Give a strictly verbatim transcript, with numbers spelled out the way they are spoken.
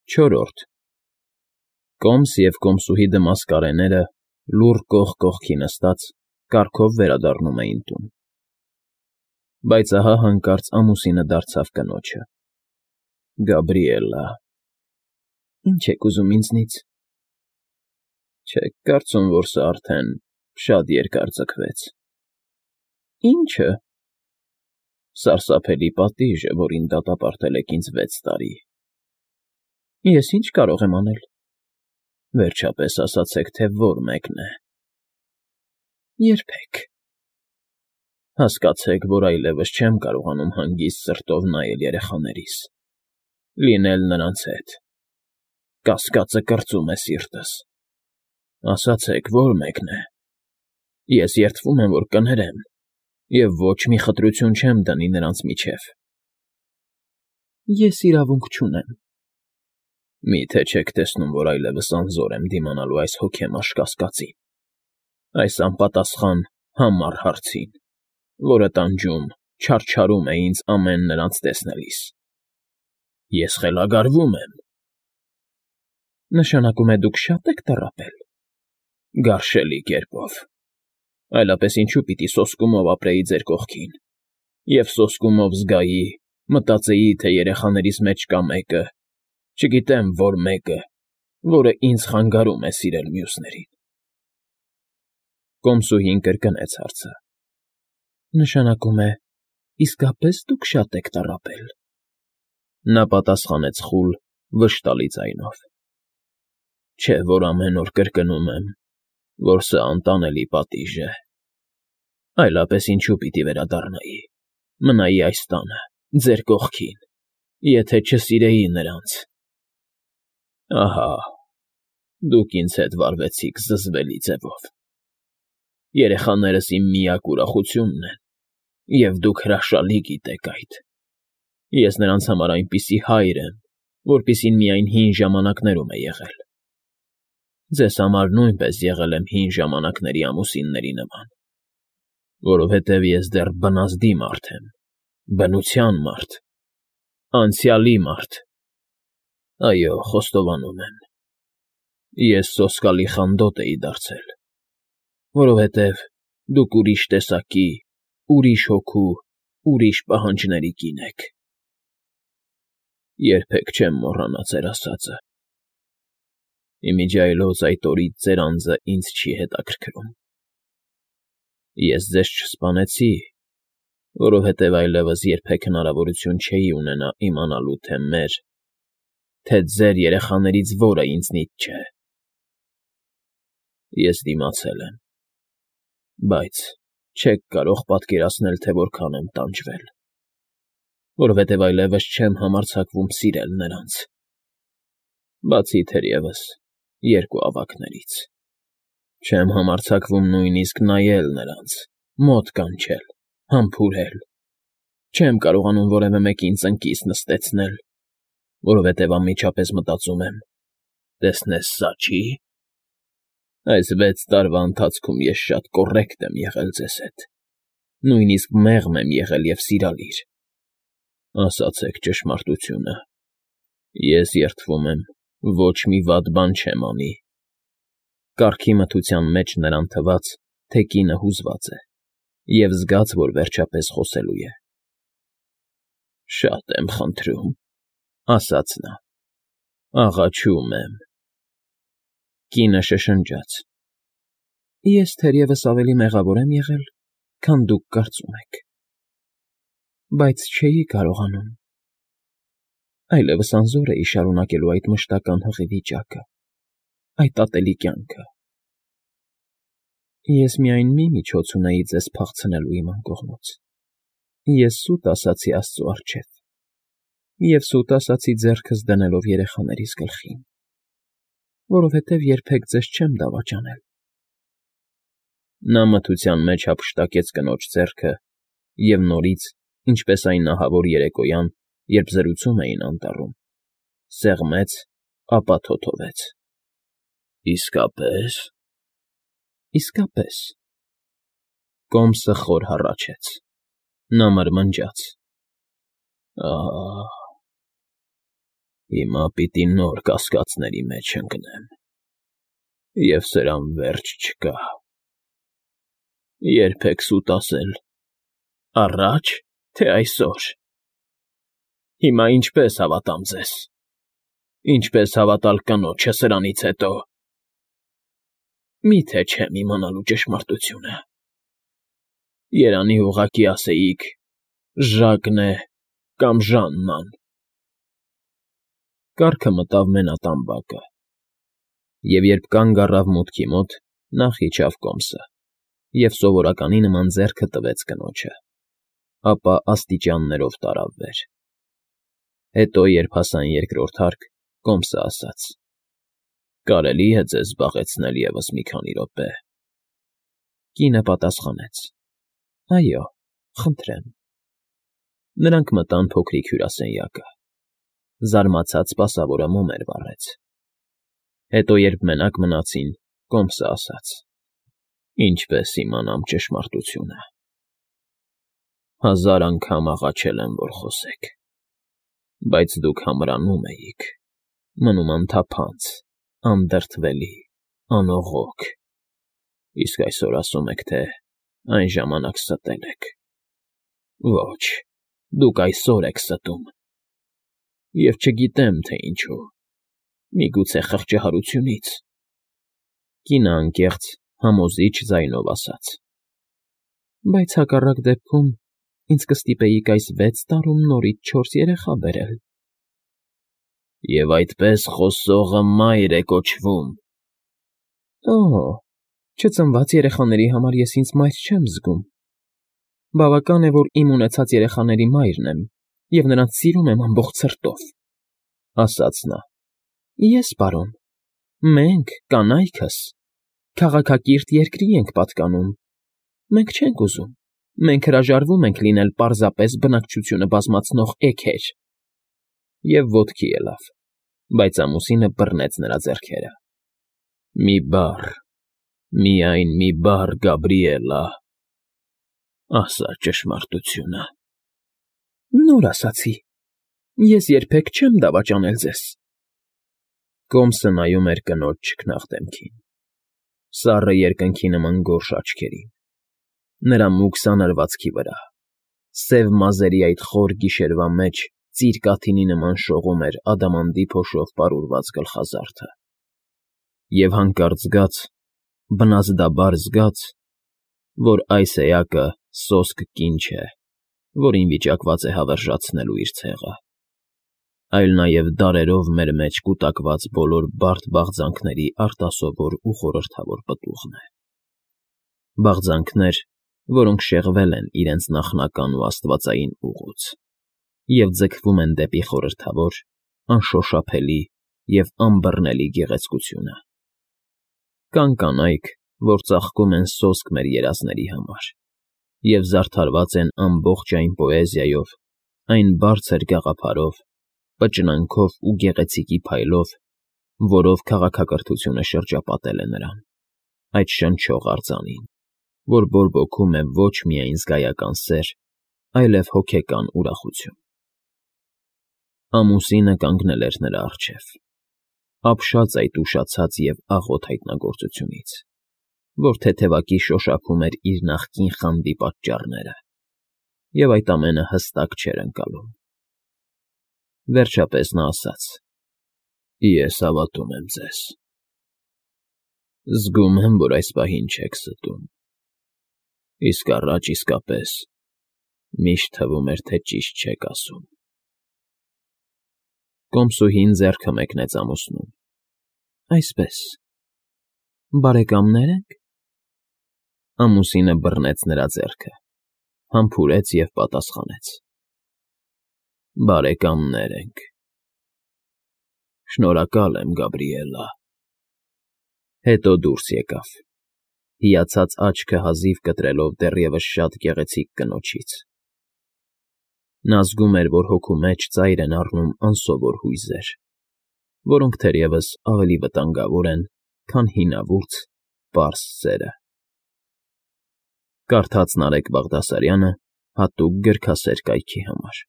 Չորրորդ Կոմս և կոմսուհի դմասկարեները, լուռ կողք կողքի նստած, կառքով վերադառնում էին տուն։ Բայց ահա հանկարծ ամուսինը դարձավ կնոջը. ֊ Գաբրիելլա… ֊ Ի՞նչ եք ուզում ինձնից։ ֊ Չեք կարծում, որ սա արդեն շատ երկար ձգվեց։ ֊ Ի՞նչը։ ֊ Սարսափելի պատիժը, որին դատապարտել եք ինձ վեց տարի։ ֊ Ես ի՞նչ կարող եմ անել։ ֊ Վերջապես ասացեք, թե ո՞ր մեկն է։ ֊ Երբեք։ ֊ Հասկացեք, որ այլևս չեմ կարողանում հանգիստ սրտով նայել երեխաներիս, լինել նրանց հետ, կասկածը կրծում է սիրտս։ Ասացեք, ո՞ր մեկն է։ Ես երդվում եմ, որ կներեմ, և ոչ մի խտրություն չեմ դնի նրանց միջև։ ֊ Ես իրավունք չունեմ։ ֊ Մի՞թե չեք տեսնում, որ այլևս անզոր եմ դիմանալու այս հոգեմաշ կասկածին, այս անպատասխան համառ հարցին, որը տանջում, չարչարում է ինձ ամեն նրանց տեսնելիս։ Ես խելագարվում եմ։ ֊ Նշանակում է դուք շա՞տ եք տառապել։ ֊ Գարշելի կերպով։ Այլապես ինչու պիտի սոսկումով ապրեի ձեր կողքին և սոսկումով զգայի, մտածեի, թե երեխաներիս մեջ կա մեկը, չգիտեմ որ մեկը, որը ինձ խանգարում է սիրել մյուսներին։ Կոմսուհին կրկնեց հարցը. ֊ Նշանակում է, իսկապես դուք շա՞տ եք տառապել։ Նա պատասխանեց խուլ, վշտալի ձայնով. ֊ Չէ՞ որ ամեն օր կրկնում եմ, որ սա անտանելի պատիժ է։ Այլապես ինչու պիտի վերադառնայի, մնայի այս տանը, ձեր կողքին, եթե չսիրեի նրանց։ Ահա, դուք ինձ հետ վարվեցիք զզվելի ձևով։ Երեխաներս իմ միակ ուրախությունն են, և դուք հրաշալի գիտեք այդ։ Ես նրանց համար այնպիսի հայր եմ, որպիսին միայն հին ժամանակներում է եղել։ Ձեզ համար նույնպես եղել եմ հին ժամանակների ամուսինների նման, որովհետև ես դեռ բնազդի մարդ եմ, բնության մարդ, անցյալի մարդ։ Այո, խոստովանում եմ, ես սոսկալի խանդոտ էի դարձել, որովհետև դուք ուրիշ տեսակի, ուրիշ հոգու, ուրիշ պահանջների կին եք։ Երբեք չեմ մոռանա ձեր ասածը։ Ի միջի այլոց այդ օրից ձեր անձը ինձ չի հետաքրքրում։ Ես ձեզ չսպանեցի, որովհետև այլևս երբեք հնարավորություն չէի ունենա իմանալու, թե մեր, թե ձեր երեխաներից որը ինձնից չէ։ Ես դիմացել եմ, բայց չեք կարող պատկերացնել, թե որքան եմ տանջվել, որովհետև այլևս չեմ համարձակվում սիրել նրանց, բացի թերևս երկու ավագներից։ Չեմ համարձակվում նույնիսկ նայել նրանց, մոտ կանչել, համբուրել։ Չեմ կարողանում որևէ մեկին ծնկիս նստեցնել, որովհետև անմիջապես մտածում եմ. տեսնես սա չի։ Այս վեց տարվա ընթացքում ես շատ կոռեկտ եմ եղել ձեզ հետ, նույնիսկ մեղմ եմ եղել և սիրալիր։ Ասացեք ճշմարտությունը, ես երդվում եմ, ոչ մի վատ բան չեմ անի։ Կառքի մթության մեջ նրան թվաց, թե կինը հուզված է, և զգաց, որ վերջապես խոսելու է։ ֊ Շատ եմ խնդրում, ֊ ասաց նա, ֊ աղաչում եմ։ Կինը շշնջաց. ֊ Ես թերևս ավելի մեղավոր եմ եղել, քան դուք կարծում եք, բայց չէի կարողանում։ Այլևս անզոր էի շարունակելու այդ մշտական հղի վիճակը, այդ ատելի կյանքը։ Ես միայն մի միջոց ունեի ձեզ փախցնելու իմ անկողնուց. ես սուտ ասացի աստծու առջև և սուտ ասացի ձեռքս դնելով երեխաներիս գլխին, որովհետև երբեք ձեզ չեմ դավաճանել։ Նա մթության մեջ հափշտակեց կնոջ ձեռքը և նորից, ինչպես այն ահավոր երեկոյան, երբ զրուցում էին անտառում, սեղմեց, ապա թոթվեց։ ֊ Իսկապե՞ս։ ֊ Իսկապես։ Կոմսը խոր հառաչեց։ Նա մրմնջաց. ֊ Ահ։ Հիմա պիտի նոր կասկածների մեջ ընկնեմ, և սրան վերջ չկա։ Ե՞րբ եք սուտ ասել, առա՞ջ, թե այսօր։ Հիմա ինչպե՞ս հավատամ ձեզ, ինչպե՞ս հավատալ կնոջը սրանից հետո։ Մի՞թե չեմ իմանալու ճշմարտությունը։ Երանի ուղղակի ասեիք՝ Ժակն է կամ Ժաննան։ Կառքը մտավ մենատամբակը, և երբ կանգ առավ մուտքի մոտ, նախ իջավ կոմսը և սովորականի նման ձեռքը տվեց կնոջը, ապա աստիճաններով տարավ վեր։ Հետո, երբ հասան երկրորդ հարկ, կոմսը ասաց. «Կարելի՞ է ձեզ զբաղեցնել ևս մի քանի րոպե»։ Կինը պատասխանեց. «Այո, խնդրեմ»։ Նրանք մտան փոքրիկ հյուրասենյակը։ Զարմացած սպասավորը մոմեր վառեց։ Հետո, երբ մենակ մնացին, կոմսը ասաց. «Ինչպե՞ս իմանամ ճշմարտությունը։ Հազար անգամ աղաչել եմ, որ խոսեք, բայց դուք համրանում էիք, մնում անթափանց, անդրդվելի, անողոք, իսկ այսօր ասում եք, թե այն ժամանակ ստել եք։ Ոչ, դուք այսօր եք ստում, և չգիտեմ, թե ինչու, միգուցե խղճահարությունից»։ Կինը անկեղծ, համոզիչ ձայնով ասաց. «Բայց հակառակ դեպքում ինձ կստիպեիք այս վեց տարում նորից չորս երեխա բերել»։ «Եվ այդպես խոսողը մայր է կոչվում»։ Օ՜, չծնված երեխաների համար ես ինձ մայր չեմ զգում։ Բավական է, որ իմ ունեցած երեխաների մայրն եմ և նրանց սիրում եմ ամբողջ սրտով», ասաց նա։ «Ես, պարոն, մենք, կանայքս, քաղաքակիրթ երկրի ենք պատկանում, մենք չենք ուզում, մենք հրաժարվում ենք լինել պարզապես բնակչությունը բազմացնող էգեր»։ Եվ ոտքի ելավ, բայց ամուսինը բռնեց նրա ձեռքերը։ «Մի բառ, միայն մի բառ, Գաբրիելլա, ասա ճշմարտությունը»։ «Նոր ասացի, ես երբեք չեմ դավաճանել ձեզ»։ Կոմսը նայում էր կնոջ չքնաղ դեմքին, սառը երկնքի նման գորշ աչքերին, նրա մուգ սանրվածքի վրա, սև մազերի այդ խոր գիշերվա մեջ ծիր կաթիլի նման շողում էր ադամանդի փոշով պարուրված գլխազարդը, և հանկարծ զգաց, բնազդաբար զգաց, որ այս էակը սոսկ կին չէ, որին վիճակված է հավերժացնելու իր ցեղը, այլ նաև դարերով մեր մեջ կուտակված բոլոր բարդ բաղձանքների արտասովոր ու խորհրդավոր պտուղն է։ Բաղձանքներ, որոնք շեղվել են իրենց նախնական ու աստվածային ուղուց և ձգվում են դեպի խորհրդավոր, անշոշափելի և անբռնելի գեղեցկությունը։ Կան կանայք, որ ծաղկում են սոսկ մեր երազների համար և զարդարված են ամբողջ այն պոեզիայով, այն բարձր գաղափարով, պճնանքով ու գեղեցիկի փայլով, որով քաղաքակրթությունը շրջապատել է նրան, այդ շնչող արձանին, որ բորբոքում է ոչ միայն զգայական սեր, այլև հոգեկան ուրախություն։ Ամուսինը կանգնել էր նրա առջև, ապշած այդ ուշացած և աղոտ հայտնագործությունից, որ թեթևակի շոշափում էր իր նախկին խանդի պատճառները, և այդ ամենը հստակ չէր ընկալում։ Վերջապես նա ասաց. «Ես հավատում եմ ձեզ։ Զգում եմ, որ այս պահին չեք ստում, իսկ առաջ իսկապես միշտ թվում էր, թե ճիշտ չեք ասում»։ Կոմսուհին ձեռքը մեկնեց ամուսնուն։ «Այսպես, բարեկամնե՞ր ենք»։ Ամուսինը բռնեց նրա ձեռքը, համբուրեց և պատասխանեց. «Բարեկամներ ենք»։ «Շնորհակալ եմ, Գաբրիելլա»։ Հետո դուրս եկավ, հիացած աչքը հազիվ կտրելով դեռևս շատ գեղեցիկ կնոջից։ Նա զգում էր, որ հոգու մեջ ծայր են առնում անսովոր հույզեր, որոնք թերևս ավելի վտանգավոր են, քան հինավուրց, պարզ սերը։ Կարդաց Նարեկ Բաղդասարյանը հատուկ գրքասեր կայքի համար։